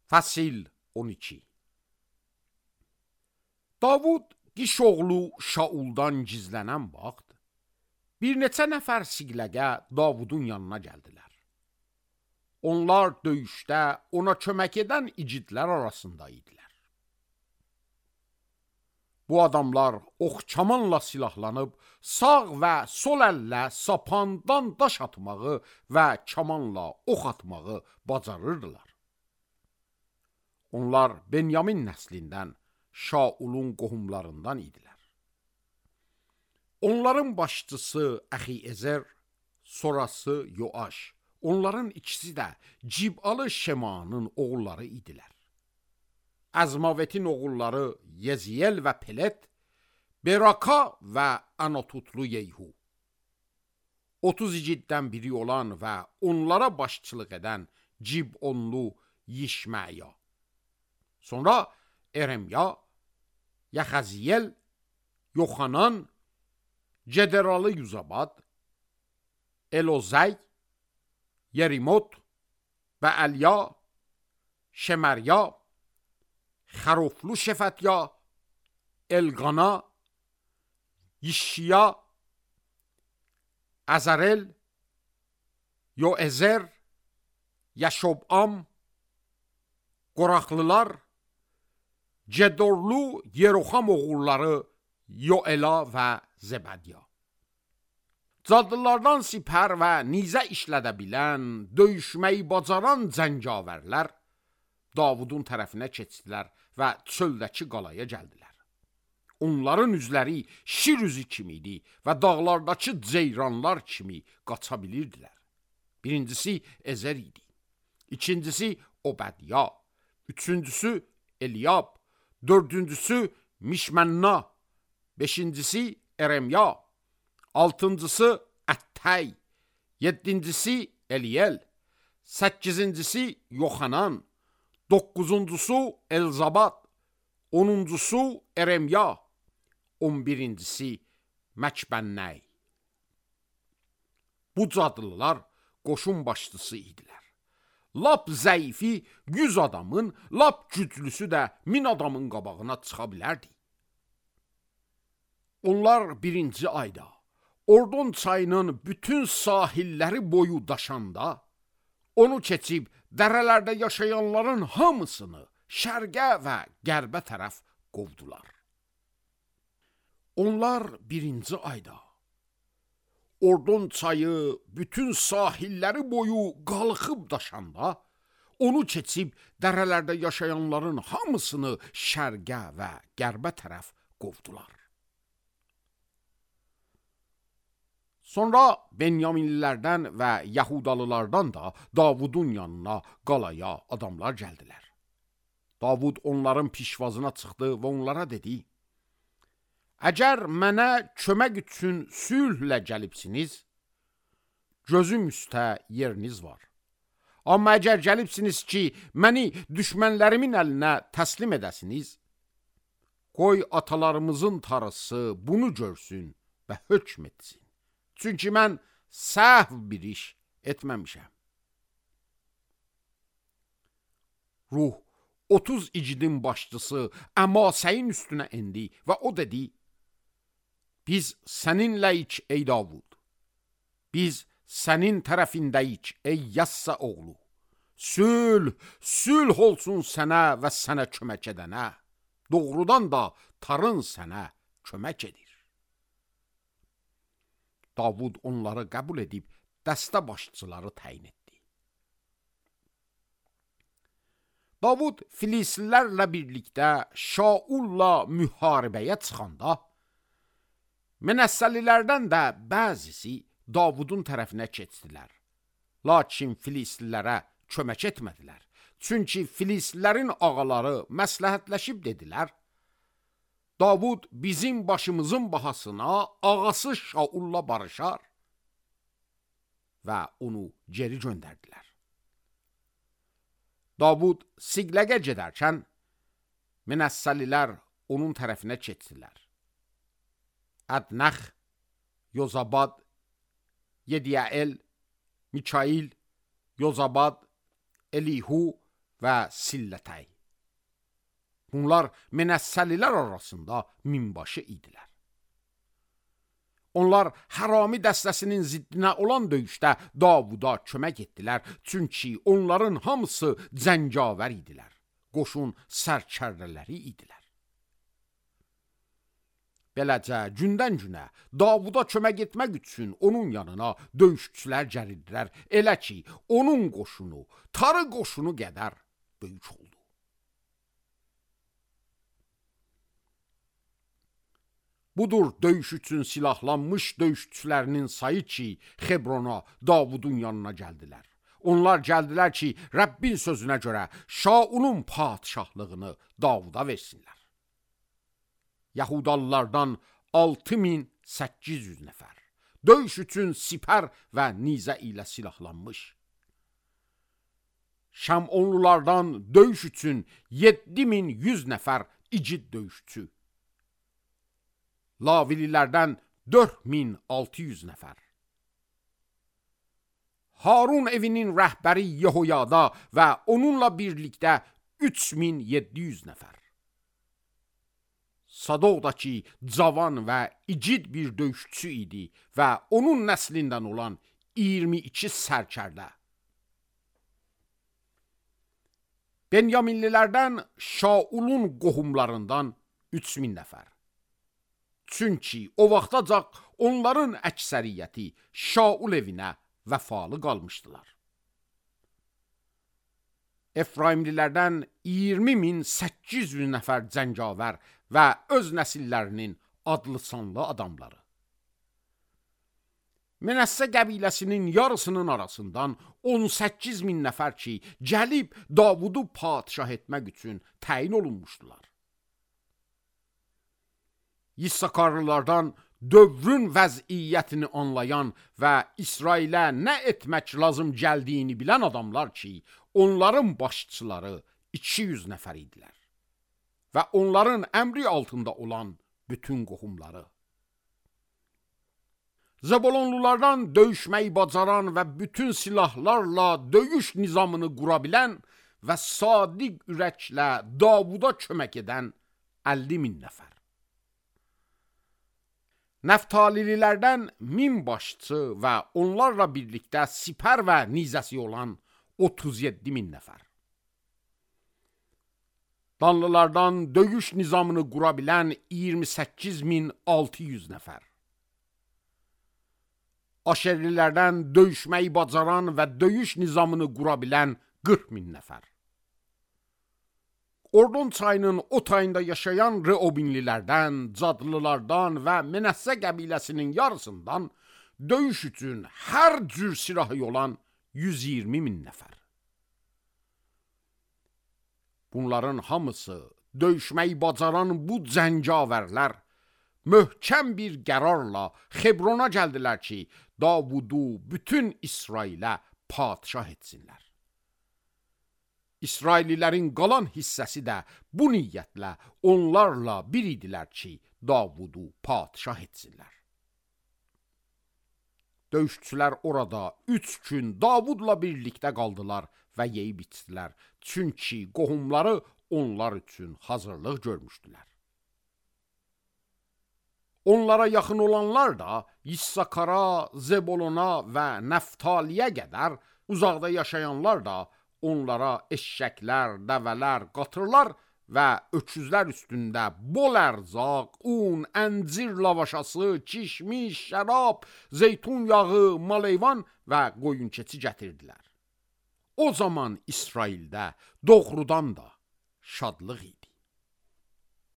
Fəsil 12. Davud Qişoğlu Şauldan gizlənən vaxt bir neçə nəfər siqləgə Davudun yanına gəldilər. Onlar döyüşdə ona kömək edən igidlər arasında idilər. Bu adamlar ox-kamanla silahlanıb sağ və sol əllə sapandan daş atmağı və kamanla ox atmağı bacarırdılar. Onlar Benyamin nəslindən Şaulun qohumlarından idilər. Onların başçısı Əxiezer, sonrası Yoaş, onların ikisi də Cib'alı Şemanın oğulları idilər. Əzmavetin oğulları Yeziyel və Pelet, Beraka və Anatotlu Yeyhu. 30 igiddən biri olan və onlara başçılıq edən Cib'onlu Yişməya. Sonra Eremya, Yaxaziyel, Yoxanan, Cederalı Yuzabad, Elozey, Yerimot və Əlya, Şemerya, Xəroflu Şefətya, Elqana, Yişşiya, Əzərel, Yoezer, Yaşobam, Qoraqlılar, Cedorlu Yeroxam oğulları Yoela və Zebadiya. Cadlılardan sipər və nizə işlədə bilən, döyüşməyi bacaran cəngavərlər Davudun tərəfinə keçdilər və çöldəki qalaya gəldilər. Onların üzləri şir üzü kimi idi və dağlardakı ceyranlar kimi qaça bilirdilər. Birincisi Ezer idi, ikincisi Obadiya, üçüncüsü Eliyab, dördüncüsü Mişmənna, beşincisi Eremya, altıncısı Əttəy, yeddincisi Eliyel, səkkizincisi Yoxanan, doqquzuncusu Elzabad, onuncusu Eremya, 11-incisi Məkbənnəy. Bu cadlılar qoşun başçısı idilər. Lap zəifi 100 adamın, lap güclüsü də 1000 adamın qabağına çıxa bilərdi. Onlar birinci ayda Ordon çayının bütün sahilləri boyu daşanda, onu keçib dərələrdə yaşayanların hamısını şərqə və qərbə tərəf qovdular. Onlar birinci ayda Ordon çayı bütün sahilləri boyu qalxıb daşanda, onu keçib dərələrdə yaşayanların hamısını şərqə və qərbə tərəf qovdular. Sonra Benyaminlilərdən və Yahudalılardan da Davudun yanına, qalaya adamlar gəldilər. Davud onların pişvazına çıxdı və onlara dedi: Əgər mənə kömək üçün sülhlə gəlibsiniz, gözüm üstə yeriniz var. Amma əgər gəlibsiniz ki, məni düşmənlərimin əlinə təslim edəsiniz, qoy atalarımızın tarısı bunu görsün və hökm etsin. Çünki mən səhv bir iş etməmişəm. Ruh 30 igidin başçısı Əmasəyin üstünə endi və o dedi: Biz səninləyik ey Davud. Biz sənin tərəfindəyik ey Yassa oğlu. Sülh olsun sənə və sənə kömək edənə. Doğrudan da tarın sənə kömək edir. Davud onları qəbul edib dəstə başçıları təyin etdi. Davud Filislilərlə birlikdə Şaulla müharibəyə çıxanda, Mənəssəlilərdən də bəzisi Davudun tərəfinə keçdilər. Lakin Filislilərə kömək etmədilər. Çünki Filislilərin ağaları məsləhətləşib dedilər: Davud bizim başımızın bahasına ağası Şaulla barışar və onu geri göndərdilər. Davud Siqləgə gedərkən Mənəssəlilər onun tərəfinə keçdilər. Ədnəx, Yozabad, Yediyael, Mikail, Yozabad, Elihu və Sillətəy. Bunlar Menəssəlilər arasında minbaşı idilər. Onlar Hərami dəstəsinin ziddinə olan döyüşdə Davuda kömək etdilər, çünki onların hamısı cəngavər idilər, qoşun sərkərdələri idilər. Beləcə, gündən-günə Davuda kömək etmək üçün onun yanına döyüşçülər gəlirlər, elə ki, onun qoşunu, tarı qoşunu qədər böyük oldu. Budur döyüş üçün silahlanmış döyüşçülərinin sayı ki, Xebrona, Davudun yanına gəldilər. Onlar gəldilər ki, Rəbbin sözünə görə Şaulun padişahlığını Davuda versinlər. Yahudalılardan 6800 nəfər, döyüş üçün sipər və nizə ilə silahlanmış. Şamonlulardan döyüş üçün 7100 nəfər igid döyüşçü. Lavililərdən 4600 nəfər. Harun evinin rəhbəri Yehoyada və onunla birlikdə 3700 nəfər. Sadoqdakı cavan və igid bir döyüşçü idi və onun nəslindən olan 22 sərkərdə. Benyaminlilərdən Şaulun qohumlarından 3000 nəfər. Çünki o vaxtacaq onların əksəriyyəti Şaul evinə vəfalı qalmışdılar. Efraimlilərdən 20.800 nəfər cəngavər və öz nəsillərinin adlı-sanlı adamları. Menəssə qəbiləsinin yarısının arasından 18.000 nəfər ki, gəlib Davudu padişah etmək üçün təyin olunmuşdular. İssakarlılardan dövrün vəziyyətini anlayan və İsrailə nə etmək lazım gəldiyini bilən adamlar ki, onların başçıları 200 nəfər idilər və onların əmri altında olan bütün qohumları. Zebulonlulardan döyüşməyi bacaran və bütün silahlarla döyüş nizamını qura bilən və sadiq ürəklə Davuda kömək edən 50.000 nəfər. Nəftalilərdən 1000 başçı və onlarla birlikdə sipər və nizəsi olan 37.000 nəfər. Danlılardan döyüş nizamını qura bilən 28.600 nəfər. Aşerlilərdən döyüşməyi bacaran və döyüş nizamını qura bilən 40.000 nəfər. Ordon çayının o tayında yaşayan Reobinlilərdən, Cadlılardan və Menəssə qəbiləsinin yarısından döyüş üçün hər cür silahı olan 120.000 nəfər. Bunların hamısı döyüşməyi bacaran bu cəngavərlər möhkəm bir qərarla Xebrona gəldilər ki, Davudu bütün İsrailə padişah etsinlər. İsraillilərin qalan hissəsi də bu niyyətlə onlarla bir idilər ki, Davudu padişah etsinlər. Döyüşçülər orada 3 gün Davudla birlikdə qaldılar və yeyib içdilər, çünki qohumları onlar üçün hazırlıq görmüşdülər. Onlara yaxın olanlar da İssakara, Zebulona və Nəftaliyə qədər, uzaqda yaşayanlar da onlara eşşəklər, dəvələr, qatırlar və öküzlər üstündə bol ərzaq, un, əncir lavaşası, kişmiş, şərab, zeytun yağı, maleyvan və qoyun keçi gətirdilər. O zaman İsraildə doğrudan da şadlıq idi.